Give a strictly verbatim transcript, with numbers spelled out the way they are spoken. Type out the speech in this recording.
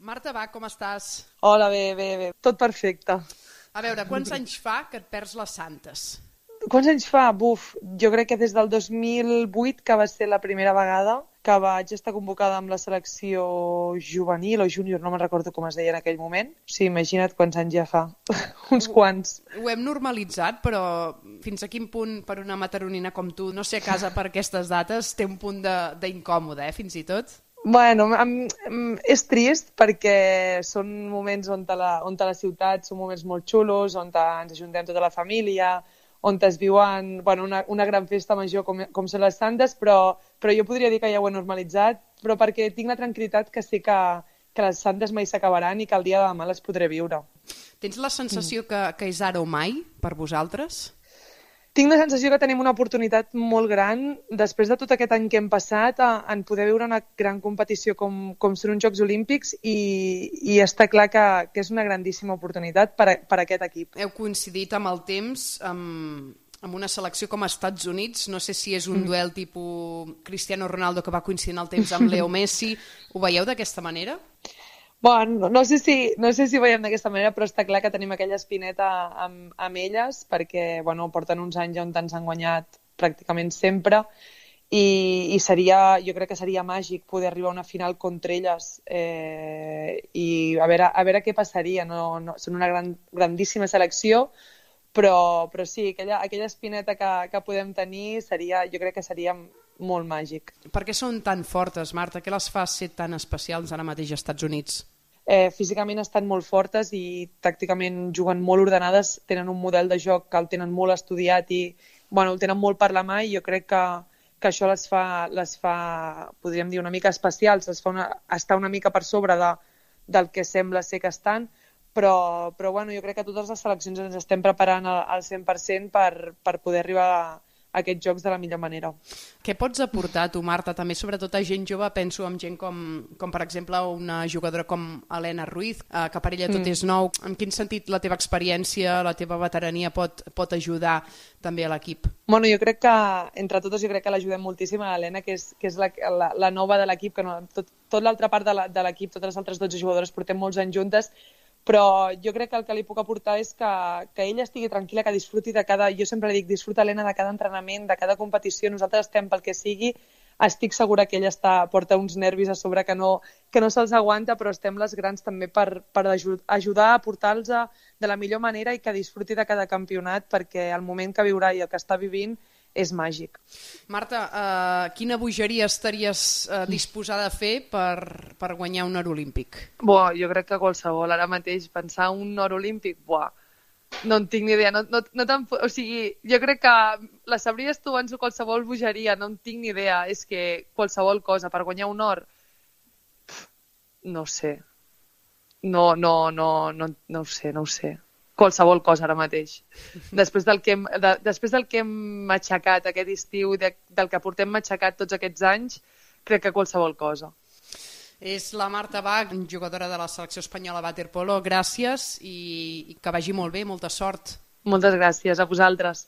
Marta, va, com estàs? Hola, bé, bé, bé. Tot perfecte. A veure, quants anys fa que et perds les santes? Quants anys fa? Buf, jo crec que des del dos mil vuit, que va ser la primera vegada que vaig estar convocada amb la selecció juvenil o júnior, no me'n recordo com es deia en aquell moment. O sigui, imagina't quants anys ja fa. Uns Ho, quants. ho hem normalitzat, però fins a quin punt per una mataronina com tu no ser a casa per aquestes dates té un punt de- d'incòmode, eh, fins i tot? Bueno, em, em, és trist perquè són moments on a la, on a la ciutat són moments molt xulos, on ens ajuntem tota la família, on es viuen bueno, una, una gran festa major com, com són les Santes, però, però jo podria dir que ja ho he normalitzat, però perquè tinc la tranquil·litat que sé que, que les Santes mai s'acabaran i que el dia de demà les podré viure. Tens la sensació que, que és ara o mai per vosaltres? Tinc la sensació que tenim una oportunitat molt gran, després de tot aquest any que hem passat, a, en poder viure una gran competició com, com són uns Jocs Olímpics i, i està clar que, que és una grandíssima oportunitat per a, per a aquest equip. Heu coincidit amb el temps amb, amb una selecció com als Estats Units, no sé si és un duel tipus Cristiano Ronaldo que va coincidir en el temps amb Leo Messi, ho veieu d'aquesta manera? Bueno, no sé si, no sé si ho veiem d'aquesta manera, però està clar que tenim aquella espineta amb, amb elles perquè bueno, porten uns anys on ens han guanyat pràcticament sempre i, i seria, jo crec que seria màgic poder arribar a una final contra elles eh, i a veure, a veure què passaria. No, no, són una gran, grandíssima selecció, però, però sí, aquella, aquella espineta que, que podem tenir seria, jo crec que seria molt màgic. Per què són tan fortes, Marta? Què les fa ser tan especials ara mateix als Estats Units? Eh, físicament estan molt fortes i tàcticament juguen molt ordenades, tenen un model de joc que el tenen molt estudiat i bueno, el tenen molt per la mà i jo crec que, que això les fa, les fa, podríem dir, una mica especials, les fa una, estar una mica per sobre de, del que sembla ser que estan, però, però bueno, jo crec que totes les seleccions ens estem preparant al, al cent per cent per, per poder arribar a aquests jocs de la millor manera. Què pots aportar tu, Marta, també sobretot a gent jove? Penso en gent com, com per exemple una jugadora com Helena Ruiz, eh, que per ella tot mm. és nou. En quin sentit la teva experiència, la teva veterania pot, pot ajudar també a l'equip? Bueno, jo crec que, entre totes, jo crec que l'ajudem moltíssim a l'Helena, que és, que és la, la, la nova de l'equip, que no, tot, tot l'altra part de l'equip, totes les altres dotze jugadores portem molts anys juntes, però jo crec que el que li puc aportar és que, que ella estigui tranquil·la, que disfruti de cada... Jo sempre dic, disfruta, Helena, de cada entrenament, de cada competició. Nosaltres estem pel que sigui. Estic segura que ella està, porta uns nervis a sobre que no, que no se'ls aguanta, però estem les grans també per, per ajudar a portar-los de la millor manera i que disfruti de cada campionat, perquè el moment que viurà i el que està vivint és màgic. Marta, eh, quina bogeria estaries eh, disposada a fer per, per guanyar un or olímpic? Buah, jo crec que qualsevol. Ara mateix pensar un or olímpic, buah, no en tinc ni idea. No, no, no tan, o sigui, jo crec que la sabries tu abans de qualsevol bogeria, no en tinc ni idea. És que qualsevol cosa, per guanyar un or, pff, no sé. No, no, no, no, no ho sé, no ho sé. Qualsevol cosa ara mateix. Després del que hem, de, després del que hem aixecat aquest estiu, de, del que portem aixecat tots aquests anys, crec que qualsevol cosa. És la Marta Bach, jugadora de la selecció espanyola waterpolo. Gràcies i, i que vagi molt bé, molta sort. Moltes gràcies a vosaltres.